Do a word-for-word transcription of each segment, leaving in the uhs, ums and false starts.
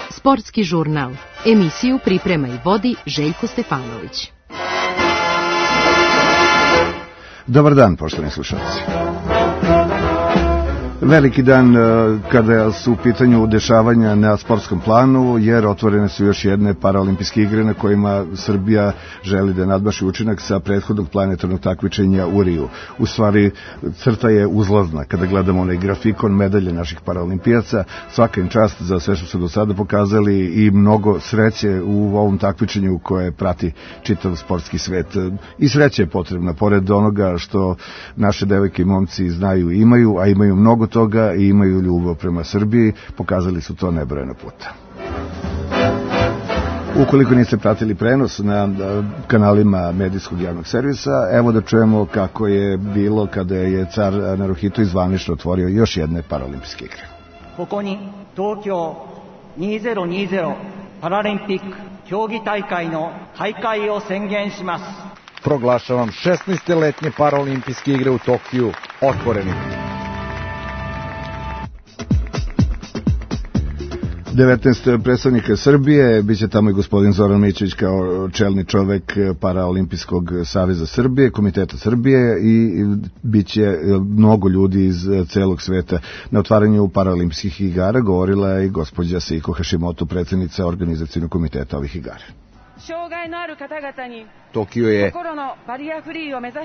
Sportski žurnal. Emisiju priprema i vodi Željko Stefanović. Dobar dan, poštovani slušalci. Veliki dan kada su u pitanju dešavanja na sportskom planu, jer otvorene su još jedne paraolimpijske igre na kojima Srbija želi da nadmaši učinak sa prethodnog planetarnog takmičenja u Riju. U stvari, crta je uzlazna kada gledamo onaj grafikon medalje naših paraolimpijaca. Svaka im čast za sve što su do sada pokazali i mnogo sreće u ovom takmičenju koje prati čitav sportski svet. I sreća je potrebna, pored onoga što naše devojke i momci znaju i imaju, a imaju mnogo toga i imaju ljubav prema Srbiji, pokazali su to nebrojeno puta. Ukoliko niste pratili prenos na kanalima medijskog javnog servisa, evo da čujemo kako je bilo kada je car Naruhito zvanično otvorio još jedne paraolimpijske igre. ここに東京にせんにじゅうパラリンピック競技大会の開会を宣言します。 Proglašavam šesnaeste letnje paraolimpijske igre u Tokiju otvorenim. devetnaest predstavnika Srbije, bit će tamo i gospodin Zoran Mićević kao čelni čovek Paraolimpijskog saveza Srbije, Komiteta Srbije, i bit će mnogo ljudi iz celog sveta. Na otvaranju paraolimpijskih igara govorila je i gospođa Seiko Hashimoto, predsednica organizacijnog komiteta ovih igara. Tokio je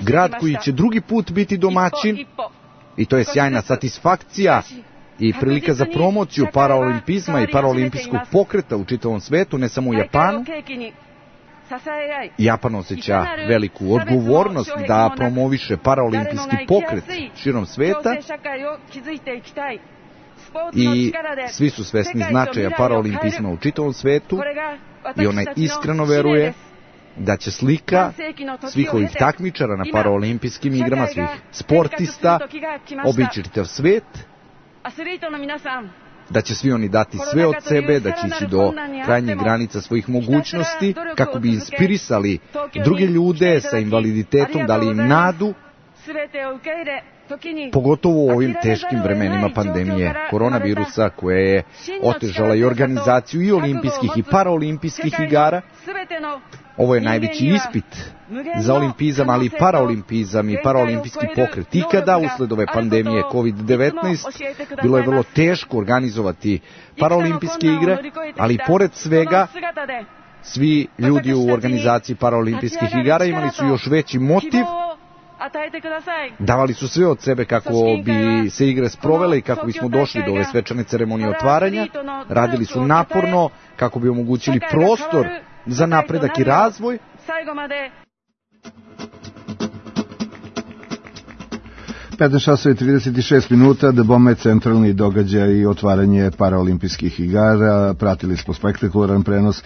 grad koji će drugi put biti domaćin i to je sjajna satisfakcija i prilika za promociju paraolimpizma i paraolimpijskog pokreta u čitavom svetu, ne samo u Japanu. Japan osjeća veliku odgovornost da promoviše paraolimpijski pokret širom sveta i svi su svesni značaja paraolimpizma u čitavom svetu i ona iskreno veruje da će slika svih ovih takmičara na paraolimpijskim igrama, svih sportista, obići čitav svet, da će svi oni dati sve od sebe, da će ići do krajnjih granica svojih mogućnosti kako bi inspirisali druge ljude sa invaliditetom, dali im nadu, pogotovo u ovim teškim vremenima pandemije koronavirusa koja je otežala i organizaciju i olimpijskih i paraolimpijskih igara. Ovo je najveći ispit za olimpizam, ali i paraolimpizam i paraolimpijski pokret. Ikada, usled ove pandemije kovid devetnaest, bilo je vrlo teško organizovati paraolimpijske igre, ali pored svega, svi ljudi u organizaciji paraolimpijskih igara imali su još veći motiv, davali su sve od sebe kako bi se igre sprovele i kako bismo došli do ove svečane ceremonije otvaranja, radili su naporno kako bi omogućili prostor za napredak i razvoj. petnaest časova i trideset šest minuta, da bome centralni događaj i otvaranje paraolimpijskih igara. Pratili smo spektakularan prenos,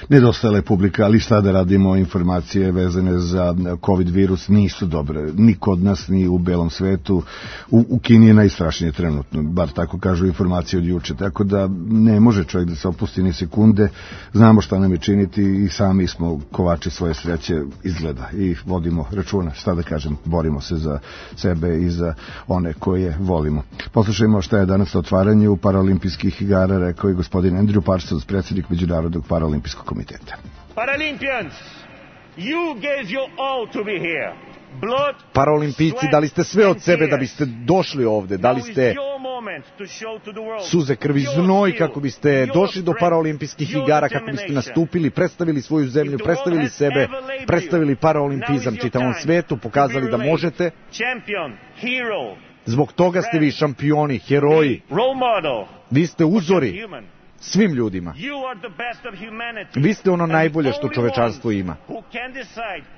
nedostala je publika, ali šta da radimo, informacije vezane za COVID virus nisu dobre, ni kod nas, ni u belom svetu. U, u Kini je najstrašnije trenutno, bar tako kažu informacije od juče, tako da ne može čovjek da se opusti ni sekunde, znamo šta nam je činiti i sami smo kovači svoje sreće, izgleda, i vodimo računa, šta da kažem, borimo se za sebe i za one koje volimo. Poslušajmo šta je danas na otvaranju paraolimpijskih igara rekao i gospodin Andrew Parsons, predsjednik Međunarodnog paraolimpijskog komiteta. Paralympians, you gave your all to be here. Blood, paraolimpijci, dali ste sve od sebe da biste došli ovde, dali ste suze, krvi, znoj kako biste došli do paraolimpijskih igara, kako biste nastupili, predstavili svoju zemlju, predstavili sebe, predstavili paraolimpizam čitavom svetu, pokazali da možete. Zbog toga ste vi šampioni, heroji, vi ste uzori svim ljudima. Vi ste ono najbolje što čovečanstvo ima.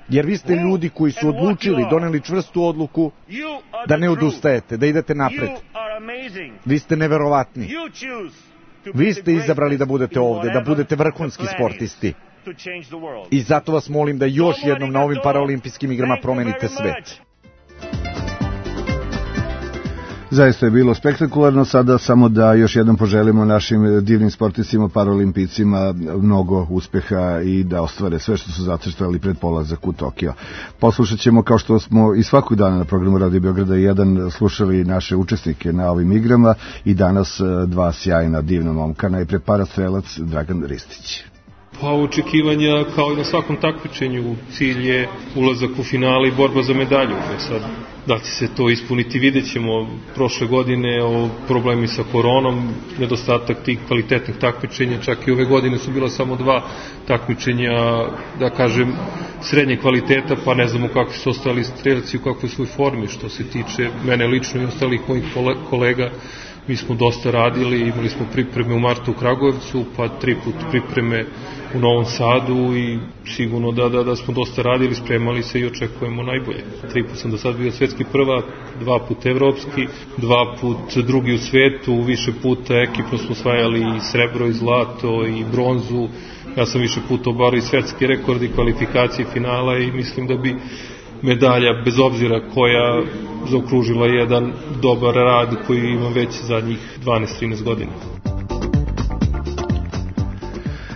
Jer vi ste ljudi koji su odlučili, doneli čvrstu odluku da ne odustajete, da idete napred. Vi ste neverovatni. Vi ste izabrali da budete ovde, da budete vrhunski sportisti. I zato vas molim da još jednom na ovim paraolimpijskim igrama promenite svet. Zaista je bilo spektakularno, sada samo da još jednom poželimo našim divnim sportistima, paraolimpijcima mnogo uspeha i da ostvare sve što su zacrtali pred polazak u Tokio. Poslušat ćemo, kao što smo i svakog dana na programu Radio Beograda jedan slušali naše učesnike na ovim igrama, i danas dva sjajna divna momka, najpre parastrelac Dragan Ristić. Pa očekivanja kao i na svakom takmičenju, cilj je ulazak u finale i borba za medalju. E sad, da će se to ispuniti, vidjet ćemo. Prošle godine o problemi sa koronom, nedostatak tih kvalitetnih takmičenja, čak i ove godine su bila samo dva takmičenja, da kažem, srednje kvaliteta, pa ne znamo kakvi su ostali strelci, u kakvoj svoj formi. Što se tiče mene lično i ostalih mojih kolega, mi smo dosta radili, imali smo pripreme u martu u Kragujevcu, pa tri put pripreme u Novom Sadu i sigurno da, da, da smo dosta radili, spremali se i očekujemo najbolje. Tri put sam do sad bio svetski prvak, dva put evropski, dva put drugi u svetu, više puta ekipno smo osvajali i srebro i zlato i bronzu. Ja sam više puta obarao i svetski rekord i kvalifikacije finala i mislim da bi medalja, bez obzira koja, zaokružila jedan dobar rad koji imam već zadnjih dvanaest trinaest godina.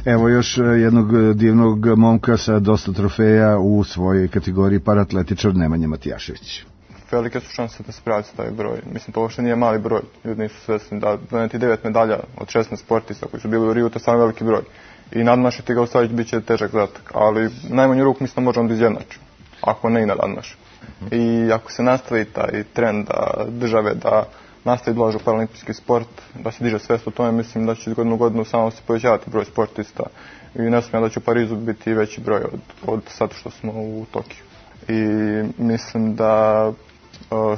Evo još jednog divnog momka sa dosta trofeja u svojoj kategoriji, paratletičar Nemanja Matijašević. Velike su šanse da se prelazi taj broj. Mislim, to uopšte nije mali broj. Ljudi nisu svesni da dvadeset devet medalja od šesnaest sportista koji su bili u Riju, to je stvarno veliki broj. I nadmašiti ga u stvari bit će težak zadatak, ali u najmanju ruku mislim da možemo da izjednačimo, ako ne i nadmašimo. I ako se nastavi taj trend da države da nastavi dolažu paralimpijski sport, da se diže svest o tome, mislim da će iz godinu u godinu samo se povećavati broj sportista i ne smijem da će u Parizu biti veći broj od, od sad što smo u Tokiju. I mislim da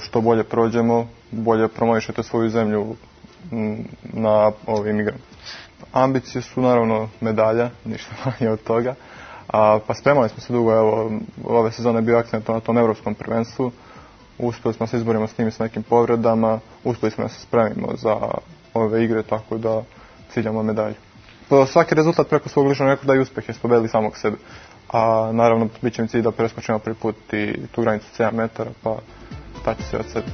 što bolje prođemo, bolje promovišete svoju zemlju na ovim igrama. Ambicije su naravno medalja, ništa manje od toga. A, pa spremali smo se dugo, evo, ove sezone je bio akcent na tom evropskom prvenstvu. Uspeli smo se izborimo s njimi s nekim povredama, uspeli smo da se spremimo za ove igre, tako da ciljamo medalju. Pa, svaki rezultat preko svog ličnog rekorda i uspeh je pobedili samog sebe. A naravno, bit će mi cilj da preskočimo prvi put i tu granicu sedam metara, pa taći se od sebe.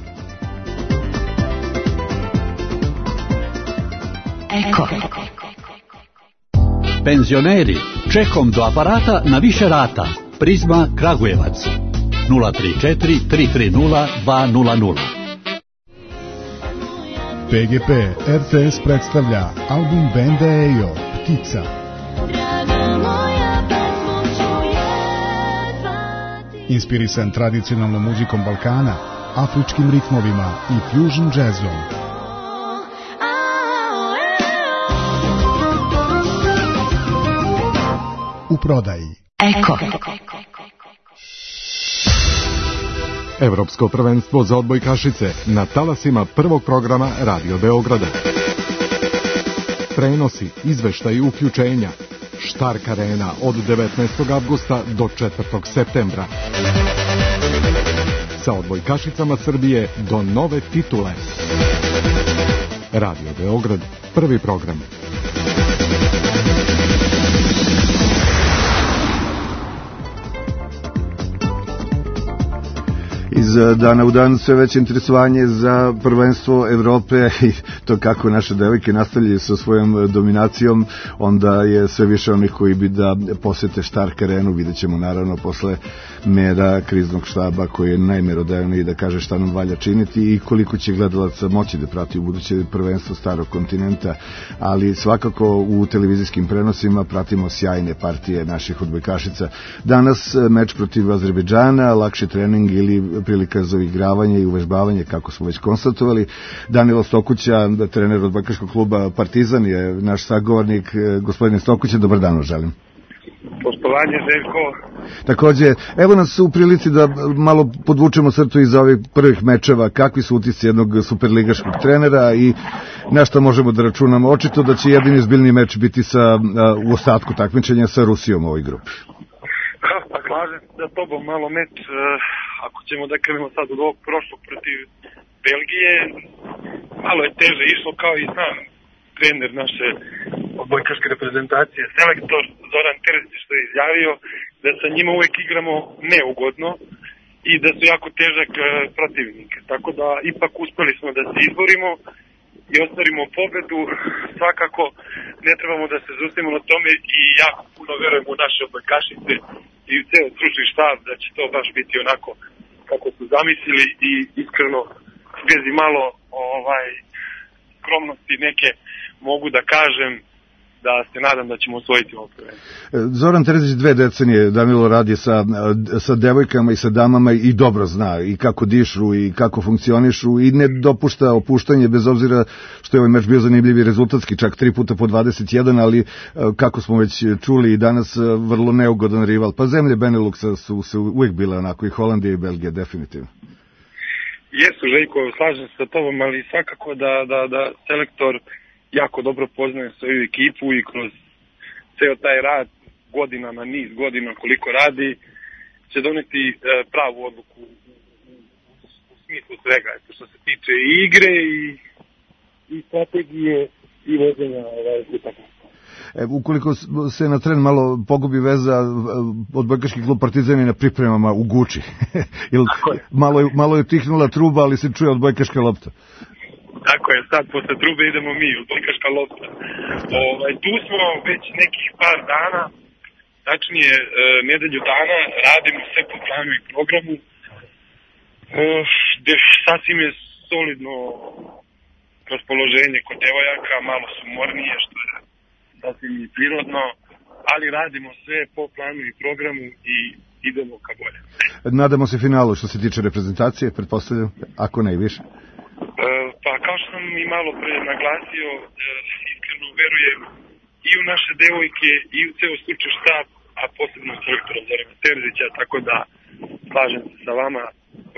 Eko. Penzioneri, čekom do aparata na više rata. Prizma Kragujevac. nula tri četiri tri tri nula dva nula nula. P G P R T S predstavlja album benda Ejo, Ptica. Inspirisan tradicionalnom muzikom Balkana, afričkim ritmovima i fusion jazzom. U prodaji. Eko. Evropsko prvenstvo za odbojkašice na talasima prvog programa Radio Beograda. Prenosi, izveštaji, uključenja. Štark Arena od devetnaestog avgusta do četvrtog septembra. Sa odbojkašicama Srbije do nove titule. Radio Beograd, prvi program. Iz dana u dan sve veće interesovanje za prvenstvo Evrope i to kako naše devojke nastavljaju sa svojom dominacijom, onda je sve više onih koji bi da posete Štark Arenu. Vidjet ćemo naravno posle mera kriznog štaba koji je najmerodavniji da kaže šta nam valja činiti i koliko će gledalaca moći da prati u buduće prvenstvo starog kontinenta, ali svakako u televizijskim prenosima pratimo sjajne partije naših odbojkašica. Danas meč protiv Azerbejdžana, lakši trening ili prilika za igravanje i uvežbavanje, kako smo već konstatovali. Danilo Stokuća, trener odbojkaškog kluba Partizan, je naš sagovornik. Gospodine Stokuća, dobar dan vam želim. Poštovanje, Željko. Takođe, evo nas u prilici da malo podvučemo crtu iz ovih prvih mečeva. Kakvi su utisci jednog superligaškog trenera i na šta možemo da računamo? Očito da će jedini zbiljni meč biti sa, u ostatku takmičenja sa Rusijom u ovoj grupi. Pa slažem se da tobom malo meč, ako ćemo da krenemo sad od ovog prošlog protiv Belgije, malo je teže išlo, kao i sam trener naše odbojkaške reprezentacije, selektor Zoran Terzić, što je izjavio da sa njima uvek igramo neugodno i da su jako težak protivnik. Tako da ipak uspeli smo da se izborimo i ostvarimo pobedu. Svakako ne trebamo da se zaustavimo na tome i jako puno verujem u naše odbojkašice i u ceo stručni štab da će to baš biti onako kako su zamislili i iskreno bez i malo ovaj, skromnosti neke mogu da kažem da se nadam da ćemo osvojiti ovo prvenstvo. Zoran Terzić dve decenije, Danilo, radi sa, sa devojkama i sa damama i dobro zna i kako dišu i kako funkcionišu i ne dopušta opuštanje bez obzira što je ovaj meč bio zanimljiv i rezultatski, čak tri puta po dvadeset jedan, ali kako smo već čuli i danas vrlo neugodan rival. Pa zemlje Beneluxa su se uvijek bile onako, i Holandija i Belgija definitivno. Jesu, Željko, slažem se sa tobom, ali svakako da, da, da selektor jako dobro poznaje svoju ekipu i kroz ceo taj rad godinama, niz godina koliko radi, će doneti e, pravu odluku u, u, u smislu svega, što se tiče i igre i, i strategije i vođenja ovaj, utakmice. E, ukoliko se na tren malo pogubi veza, odbojkaški klub Partizan je na pripremama u Guči. malo, je, malo je tihnula truba, ali se čuje odbojkaška lopta. Tako je, sad posle trube idemo mi, odbojkaška lopta. Ovaj, tu smo već nekih par dana, tačnije e, nedelju dana, radimo sve po planu i programu. E, sasvim je solidno raspoloženje kod devojaka, malo su mornije, što je sasvim i prirodno, ali radimo sve po planu i programu i idemo ka bolje. Nadamo se finalu što se tiče reprezentacije, pretpostavljam, ako ne i više. E, pa kao što sam i malo pre naglasio, e, iskreno verujem i u naše devojke i u ceo stručni štab, a posebno u selektora Zorana Terzića, tako da slažem se sa vama,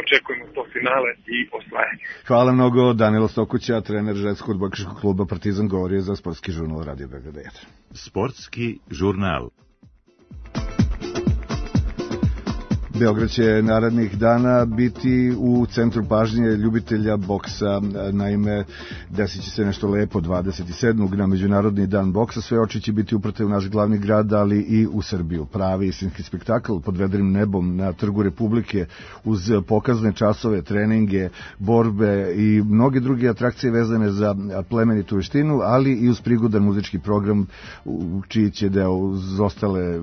očekujemo to finale i osvajanje. Hvala mnogo. Danilo Stokuća, trener ženskog odbojkaškog kluba Partizan, govorio za Sportski žurnal Radio Beograd jedan. Sportski žurnal. Beograd će narednih dana biti u centru pažnje ljubitelja boksa. Naime, desit će se nešto lepo dvadeset sedmog na Međunarodni dan boksa. Sve oči će biti uprte u naš glavni grad, ali i u Srbiju. Pravi istinski spektakl pod vedrim nebom na Trgu Republike uz pokazne časove, treninge, borbe i mnoge druge atrakcije vezane za plemenitu veštinu, ali i uz prigodan muzički program čiji će deo uz ostale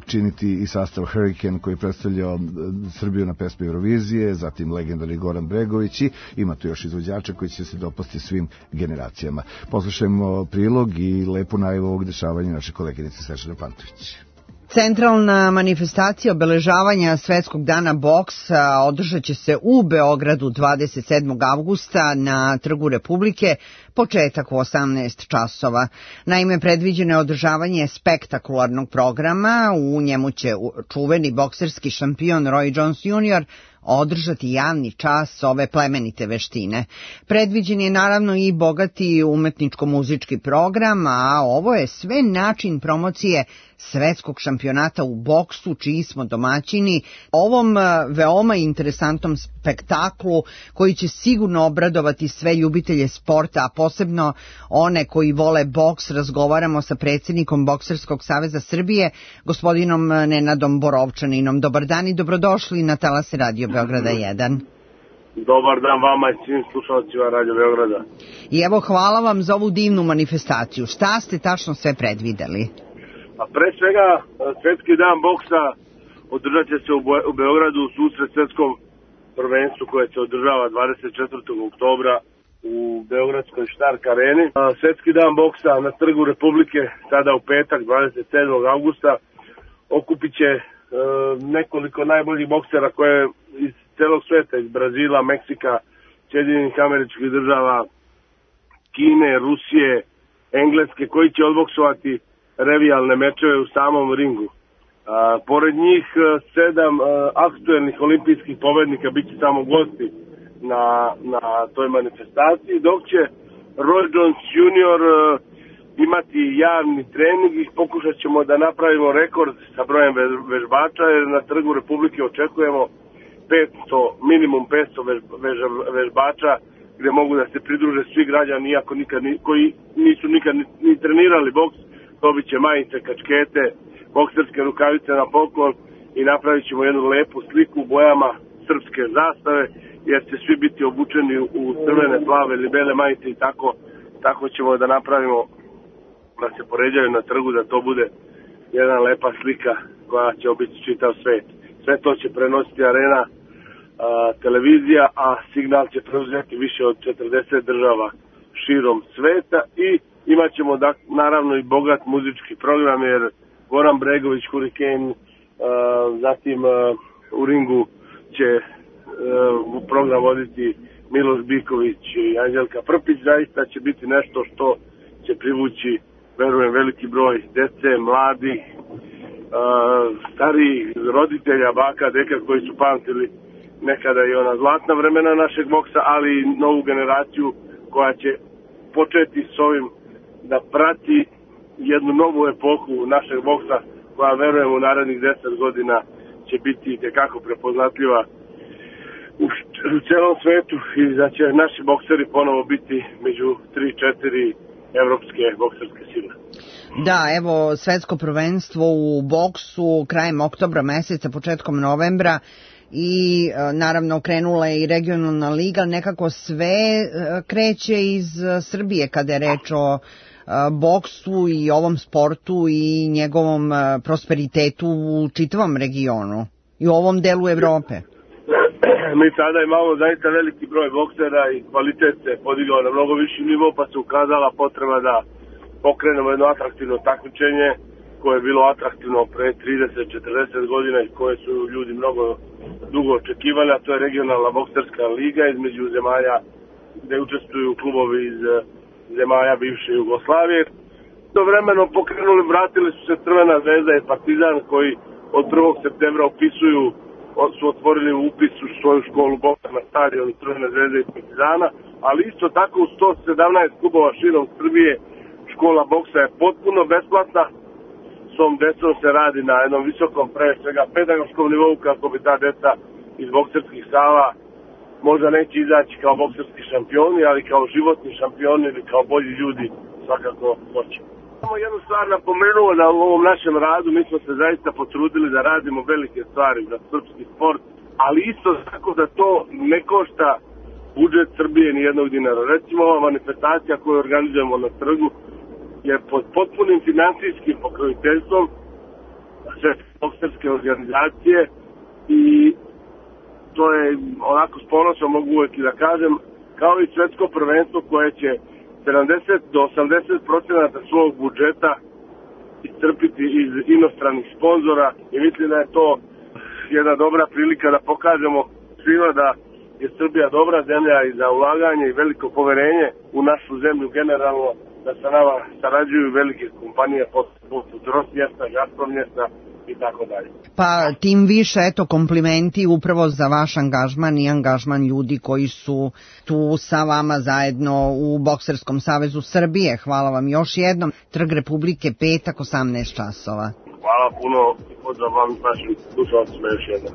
činiti i sastav Hurricane koji je predstavljao Srbiju na pesmi Eurovizije, zatim legendarni Goran Bregović i ima tu još izvođača koji će se dopasti svim generacijama. Poslušajmo prilog i lepu najavu ovog dešavanja naše koleginice Srećane Pantović. Centralna manifestacija obeležavanja Svetskog dana boksa održat će se u Beogradu dvadeset sedmog avgusta na Trgu Republike, početak u osamnaest časova. Naime, predviđeno je održavanje spektakularnog programa, u njemu će čuveni bokserski šampion Roy Jones junior održati javni čas ove plemenite veštine. Predviđen je naravno i bogati umetničko-muzički program, a ovo je sve način promocije svetskog šampionata u boksu, čiji smo domaćini, ovom veoma interesantnom spektaklu koji će sigurno obradovati sve ljubitelje sporta, a posebno one koji vole boks. Razgovaramo sa predsjednikom Bokserskog saveza Srbije, gospodinom Nenadom Borovčaninom. Dobar dan i dobrodošli na talase Radio Beograda jedan. Dobar dan vama i svim slušalcima Radio Beograda. I evo, hvala vam za ovu divnu manifestaciju. Šta ste tačno sve predvideli? A pre svega, Svetski dan boksa održat će se u Beogradu u susret svetskom prvenstvu koje se održava dvadeset četvrtog oktobra u Beogradskoj Štark areni. Svetski dan boksa na Trgu Republike sada u petak dvadeset sedmog avgusta okupit će e, nekoliko najboljih boksera koje iz celog sveta, iz Brazila, Meksika, Sjedinjenih Američkih Država, Kine, Rusije, Engleske, koji će odboksovati revijalne mečeve u samom ringu. A, pored njih sedam a, aktuelnih olimpijskih pobednika bit će samo gosti na, na toj manifestaciji, dok će Roy Jones junior a, imati javni trening i pokušat ćemo da napravimo rekord sa brojem vežbača, jer na Trgu Republike očekujemo petsto, minimum petsto vež, vež, vežbača gde mogu da se pridruže svi građani, iako nikad, koji nisu nikad ni, ni trenirali boks. Dobit će majice, kačkete, bokserske rukavice na poklon i napravit ćemo jednu lepu sliku u bojama srpske zastave, jer će svi biti obučeni u crvene, plave ili bele majice i tako, tako ćemo da napravimo da se poređaju na trgu, da to bude jedna lepa slika koja će obići čitav svet. Sve to će prenositi Arena a, televizija, a signal će preuzeti više od četrdeset država širom sveta i imat ćemo da, naravno i bogat muzički program, jer Goran Bregović, Hurricane, zatim a, u ringu će a, program voditi Miloš Biković i Anđelka Prpić. Zaista će biti nešto što će privući, verujem, veliki broj dece, mladih, starijih, roditelja, baka, deka koji su pamtili nekada i ona zlatna vremena našeg boksa, ali i novu generaciju koja će početi s ovim da prati jednu novu epohu našeg boksa, koja, verujem, u narednih deset godina će biti tekako prepoznatljiva u, u celom svetu i da će naši bokseri ponovo biti među tri četiri evropske bokserske sile. Da, evo, svetsko prvenstvo u boksu krajem oktobra meseca, početkom novembra i naravno krenula je i regionalna liga, nekako sve kreće iz Srbije kada je reč o boksu i ovom sportu i njegovom prosperitetu u čitavom regionu i u ovom delu Evrope. Mi sada imamo zaista veliki broj boksera i kvalitet se podigao na mnogo viši nivo, pa se ukazala potreba da pokrenemo jedno atraktivno takmičenje koje je bilo atraktivno pre trideset do četrdeset godina i koje su ljudi mnogo dugo očekivali, a to je regionalna bokserska liga između zemalja gde učestvuju klubovi iz zemalja bivše Jugoslavije. Istovremeno pokrenuli, vratili su se Crvena zvezda i Partizan koji od prvog septembra upisuju, su otvorili upis u svoju školu boksa na stadionu Crvene zvezde i Partizana, ali isto tako u sto sedamnaest klubova širom Srbije škola boksa je potpuno besplatna. S ovom decom se radi na jednom visokom, pre svega pedagoškom nivou, kako bi ta deca iz bokserskih sala možda neće izaći kao bokserski šampioni, ali kao životni šampioni ili kao bolji ljudi svakako hoće. Samo jednu stvar napomenuo na ovom našem radu, mi smo se zaista potrudili da radimo velike stvari za srpski sport, ali isto tako da to ne košta budžet Srbije ni jednog dinara. Recimo ova manifestacija koju organizujemo na trgu je pod potpunim finansijskim pokroviteljstvom sve bokserske organizacije i to je onako s ponosom mogu uvijek i da kažem, kao i svetsko prvenstvo koje će sedamdeset do osamdeset procenata svog budžeta iscrpiti iz inostranih sponzora i mislim da je to jedna dobra prilika da pokažemo svima da je Srbija dobra zemlja i za ulaganje i veliko poverenje u našu zemlju generalno, da sa nama sarađuju velike kompanije poput Rosnjesta, Gazpromnjesta i tako dalje. Pa tim više, eto, komplimenti upravo za vaš angažman i angažman ljudi koji su tu sa vama zajedno u Bokserskom savezu Srbije. Hvala vam još jednom. Trg Republike, petak, osamnaest časova. Hvala puno i pozdrav vam našim slušalcima još jednom.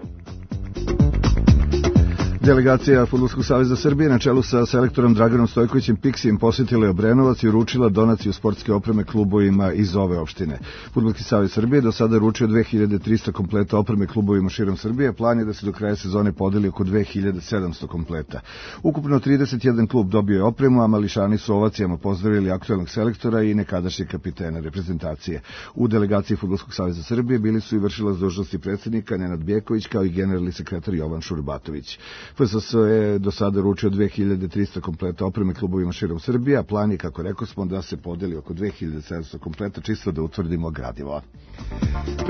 Delegacija Fudbalskog saveza Srbije na čelu sa selektorom Draganom Stojkovićem Piksijem posjetila je Obrenovac i uručila donaciju sportske opreme klubovima iz ove opštine. Fudbalski savez Srbije do sada ručio dve hiljade trista kompleta opreme klubovima širom Srbije, plan je da se do kraja sezone podeli oko dve hiljade sedamsto kompleta. Ukupno trideset jedan klub dobio je opremu, a mališani su ovacijama pozdravili aktuelnog selektora i nekadašnjeg kapitena reprezentacije. U delegaciji Fudbalskog saveza Srbije bili su i vršilac dužnosti predsjednika Nenad Bjeković kao i generalni sekretar Jovan Šurbatović. F S S je do sada ručio dve hiljade trista kompleta opreme klubovima širom Srbije, a plan je, kako rekao smo, da se podeli oko dve hiljade sedamsto kompleta, čisto da utvrdimo gradivo.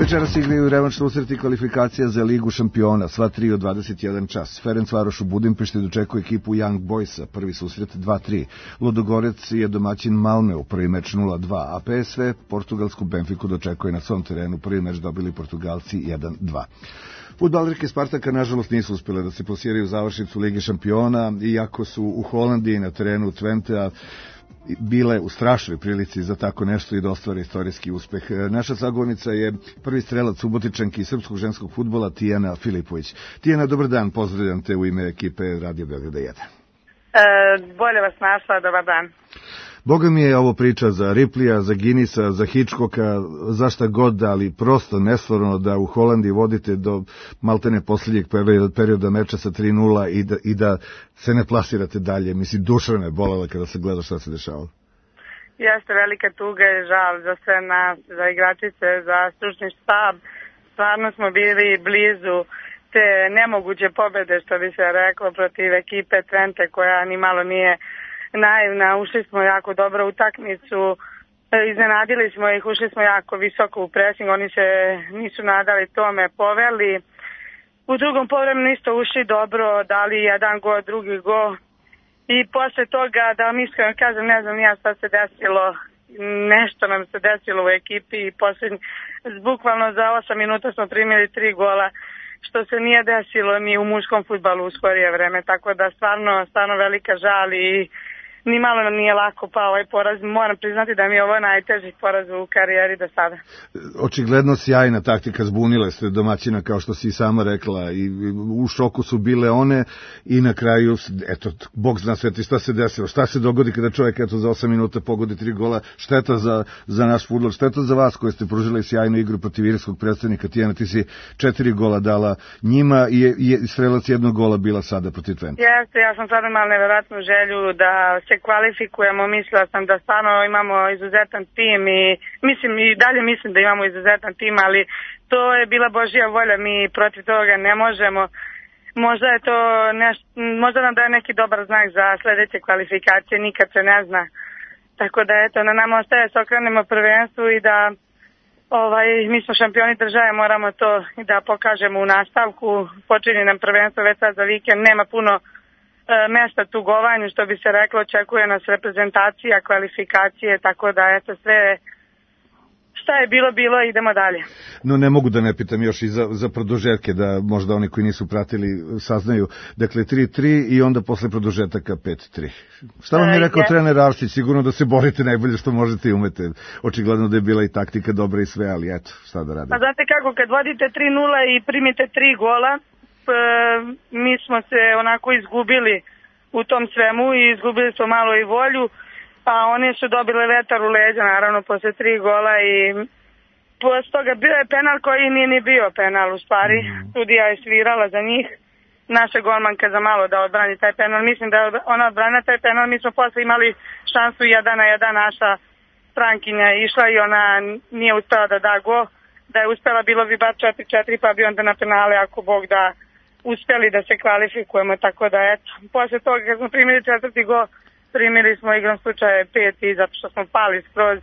Večeras igraju revanš susreti kvalifikacija za Ligu šampiona, sva tri od dvadeset jedan čas. Ferencvaroš u Budimpešti dočekuje ekipu Young Boysa, prvi susret dva tri. Ludogorec je domaćin Malmeu, prvi meč nula dva, a P S V portugalsku Benfiku dočekuje na svom terenu, prvi meč dobili Portugalci jedan dva. Fudbalerke Spartaka nažalost nisu uspjele da se plasiraju u završnicu Lige šampiona, iako su u Holandiji na terenu Twentea bile u strašnoj prilici za tako nešto i da ostvare istorijski uspeh. Naša sagovornica je prvi strelac Subotičanki iz srpskog ženskog fudbala Tijana Filipović. Tijana, dobar dan, pozdravljam te u ime ekipe Radio Beograda jedan. bolje vas našla, dobar dan. Boga mi je ovo priča za Riplija, za Guinnessa, za Hitchcocka, za šta god, ali prosto nestvarno da u Holandiji vodite do maltene posljednjeg perioda meča sa tri nula i da, i da se ne plasirate dalje. Mislim, duša me bolela kada se gleda šta se dešavalo. Jeste velika tuga i žal za sve nas, za igračice, za stručni štab. Stvarno smo bili blizu te nemoguće pobede, što bi se reklo, protiv ekipe Twente, koja ni malo nije naivna. Ušli smo jako dobro u utakmicu, iznenadili smo ih, ušli smo jako visoko u pressing, oni se nisu nadali tome, poveli. U drugom povremenu isto ušli dobro, dali jedan go, drugi go. I posle toga, da vam iskreno kažem, ne znam ja šta se desilo, nešto nam se desilo u ekipi i posljednji, bukvalno za osam minuta smo primili tri gola, što se nije desilo ni u muškom fudbalu u skorije vreme, tako da stvarno, stvarno velika žal i ni malo nam nije lako pao ovaj poraz. Moram priznati da mi je ovo najteži poraz u karijeri do sada. Očigledno sjajna taktika, zbunile ste domaćina, kao što si i sama rekla, i u šoku su bile one i na kraju, eto, Bog zna sveti šta se desilo, šta se dogodi kada čovjek eto za osam minuta pogodi tri gola, šteta za, za naš fudbal, šteta za vas koji ste pružili sjajnu igru protiv irskog predstavnika. Tijana, ti si četiri gola dala njima i, i strelac jednog gola bila sada protiv Twente. Jeste, ja sam sad imala nevjerojatnu želju da se kvalifikujemo, mislila sam da stvarno imamo izuzetan tim i mislim i dalje mislim da imamo izuzetan tim, ali to je bila Božja volja, mi protiv toga ne možemo. Možda je to neš, možda nam daje neki dobar znak za sljedeće kvalifikacije, nikad se ne zna. Tako da eto, na nama ostaje da se okrenemo prvenstvu i da ovaj, mi smo šampioni države, moramo to i da pokažemo u nastavku. Počinje nam prvenstvo već sad za vikend, nema puno mesta tugovanju, što bi se reklo, očekuje nas reprezentacija, kvalifikacije, tako da eto sve šta je bilo, bilo, idemo dalje. No ne mogu da ne pitam još i za, za produžetke, da možda oni koji nisu pratili saznaju. Dakle, tri tri i onda posle produžetaka pet tri. Šta vam je rekao e, trener Arsić? Sigurno da se borite najbolje što možete i umete. Očigledno da je bila i taktika dobra i sve, ali eto, šta da radimo. Pa znate kako, kad vodite tri nula i primite tri gola, mi smo se onako izgubili u tom svemu i izgubili smo malo i volju, a oni su dobili vetar u leđa, naravno, posle tri gola i posle toga bio je penal koji nije ni bio penal, u stvari. Sudija je svirala za njih, naša golmanka za malo da odbrani taj penal. Mislim da ona odbrana taj penal, mi smo posle imali šansu jedan na jedan, naša strankinja išla i ona nije uspela da da go. Da je uspela, bilo bi bar četiri četiri, pa bi onda na penale, ako Bog da, uspjeli da se kvalifikujemo, tako da eto. Posle toga kad smo primili četvrti gol, primili smo igrom slučaje pet i zato što smo pali skroz.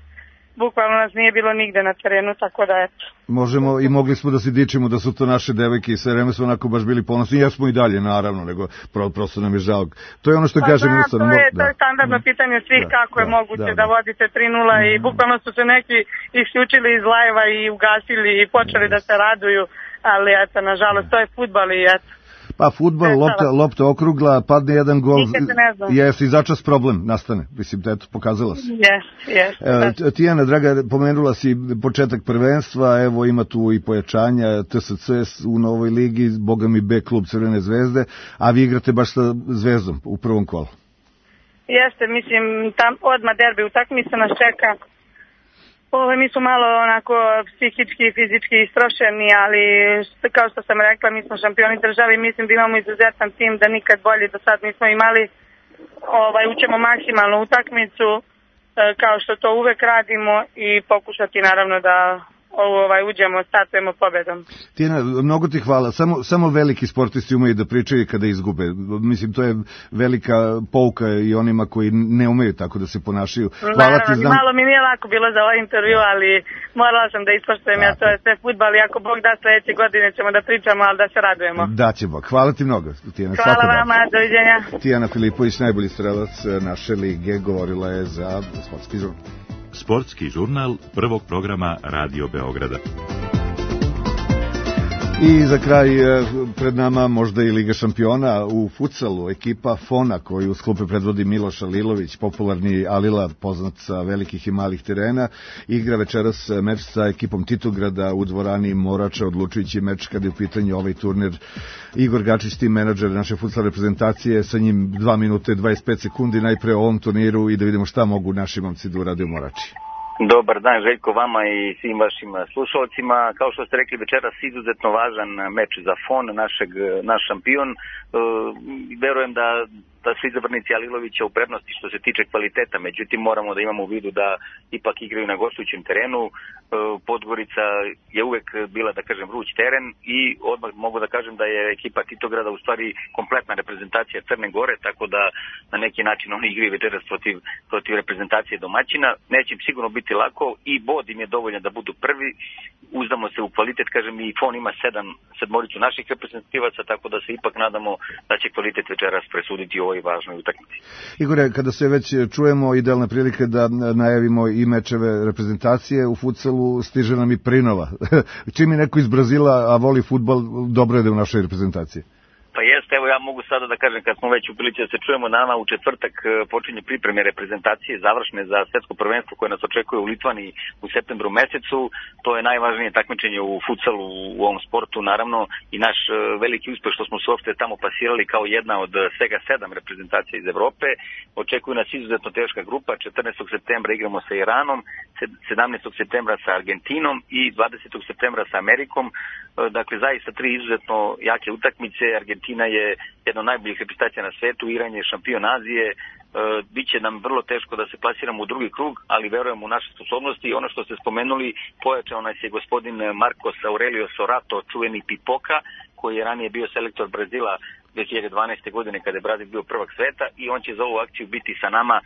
Bukvalno nas nije bilo nigde na terenu, tako da eto. Možemo i mogli smo da se dičimo da su to naše devojke i sve vreme su onako baš bili ponosni. Ja smo i dalje, naravno, nego pro, prosto nam je žao. To je ono što pa kažem. Da, sam, to, je, da. to je standardno pitanje svih da, kako da, je moguće da, da. da vodite tri nula i bukvalno su se neki isključili iz lajeva i ugasili i počeli da se raduju, ali eto, nažalost, to je fudbal i eto. Pa fudbal, lopta, lopta okrugla, padne jedan gol, jes i začas problem nastane, mislim da eto, pokazala se. Jes, jes. E, Tijana, draga, pomenula si početak prvenstva, evo ima tu i pojačanja, T S C u novoj ligi, boga mi B klub Crvene zvezde, a vi igrate baš sa Zvezdom u prvom kolu. Jeste, mislim, tam odmah derbi utakmica nas čeka. Ovo, mi smo malo onako psihički i fizički istrošeni, ali kao što sam rekla, mi smo šampioni države i mislim da imamo izuzetan tim, da nikad bolji do sad nismo imali. Ovaj, učemo maksimalnu utakmicu, kao što to uvek radimo i pokušati naravno da ovaj, uđemo, startujemo pobedom. Tijana, mnogo ti hvala. Samo, samo veliki sportisti umeju da pričaju kada izgube. Mislim, to je velika pouka i onima koji ne umeju tako da se ponašaju. Hvala naravno, ti, znam... malo mi nije lako bilo za ovaj intervju, ali morala sam da ispoštujem, ja to je sve fudbal i ako Bog da sledeće godine ćemo da pričamo, ali da se radujemo. Da će Bog. Hvala ti mnogo, Tijana. Hvala vama, doviđenja. Tijana Filipović, najbolji strelac naše lige, govorila je za Sportski žurnal. Sportski žurnal prvog programa Radio Beograda. I za kraj pred nama možda i Liga šampiona u futsalu, ekipa Fona koju u sklopu predvodi Miloš Alilović, popularni Alila, poznat sa velikih i malih terena, igra večeras meč sa ekipom Titograda u dvorani Morača, odlučujući meč kada je u pitanju ovaj turnir. Igor Gačić, tim menadžer naše futsal reprezentacije, sa njim dva minute dvadeset pet sekundi najpre o ovom turniru i da vidimo šta mogu naši momci da urade u Morači. Dobar dan, Željko, vama i svim vašim slušalcima. Kao što ste rekli, večeras izuzetno važan meč za Fon, našeg, naš šampion. E, verujem da da su izabranici Alilovića u prednosti što se tiče kvaliteta, međutim moramo da imamo u vidu da ipak igraju na gostujućem terenu. E, Podgorica je uvek bila, da kažem, vruć teren i odmah mogu da kažem da je ekipa Titograda u stvari kompletna reprezentacija Crne Gore, tako da na neki način oni igraju večeras protiv, protiv reprezentacije domaćina. Neće im sigurno biti lako i bod im je dovoljan da budu prvi. Uzdamo se u kvalitet, kažem, i Fon ima sedam, sedmoricu naših reprezentativaca, tako da se ipak nadamo da će kvalitet večeras presuditi u ovoj važnoj utakmici. Igore, kada se već čujemo, idealna prilika da najavimo i mečeve reprezentacije u futsalu, stiže nam i Prinova. Čim je neko iz Brazila, a voli fudbal, dobro je da je u našoj reprezentaciji. Pa jeste, evo ja mogu sada da kažem, kad smo već u prilici da se čujemo, nama u četvrtak počinje pripreme reprezentacije završne za svetsko prvenstvo koje nas očekuje u Litvani u septembru mesecu. To je najvažnije takmičenje u futsalu u ovom sportu, naravno, i naš veliki uspeh što smo se uopšte tamo pasirali kao jedna od svega sedam reprezentacija iz Evrope. Očekuje nas izuzetno teška grupa, četrnaestog septembra igramo sa Iranom, sedamnaestog septembra sa Argentinom i dvadesetog septembra sa Amerikom. Dakle, zaista tri izuzetno jake utakmice. Argentina je jedna od najboljih reprezentacija na svetu, Iran je šampion Azije. E, biće nam vrlo teško da se plasiramo u drugi krug, ali verujemo u naše sposobnosti. Ono što ste spomenuli, pojačao nas je gospodin Marcos Aurelio Sorato, čuveni Pipoka, koji je ranije bio selektor Brazila dve hiljade dvanaeste. godine kada je Brazil bio prvak sveta, i on će za ovu akciju biti sa nama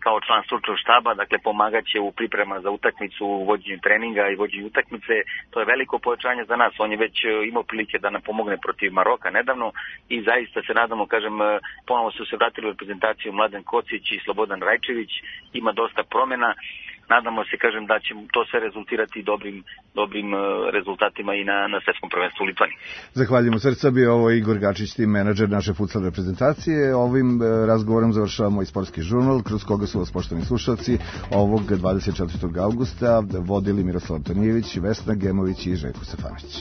kao član stručnog štaba, dakle pomagat će u priprema za utakmicu, u vođenju treninga i vođenju utakmice. To je veliko pojačanje za nas. On je već imao prilike da nam pomogne protiv Maroka nedavno i zaista se nadamo, kažem, ponovo su se vratili u reprezentaciju Mladen Kocić i Slobodan Rajčević, ima dosta promjena. Nadamo se, kažem, da će to sve rezultirati dobrim, dobrim rezultatima i na, na svetskom prvenstvu u Litvani. Zahvaljujemo srca, bio ovo Igor Gačić, tim menadžer naše futsal reprezentacije. Ovim razgovorom završavamo i sportski žurnal, kroz koga su vas, poštovani slušalci, ovog dvadeset četvrtog avgusta vodili Miroslav Antonijević, Vesna Gemović i Željko Stefanović.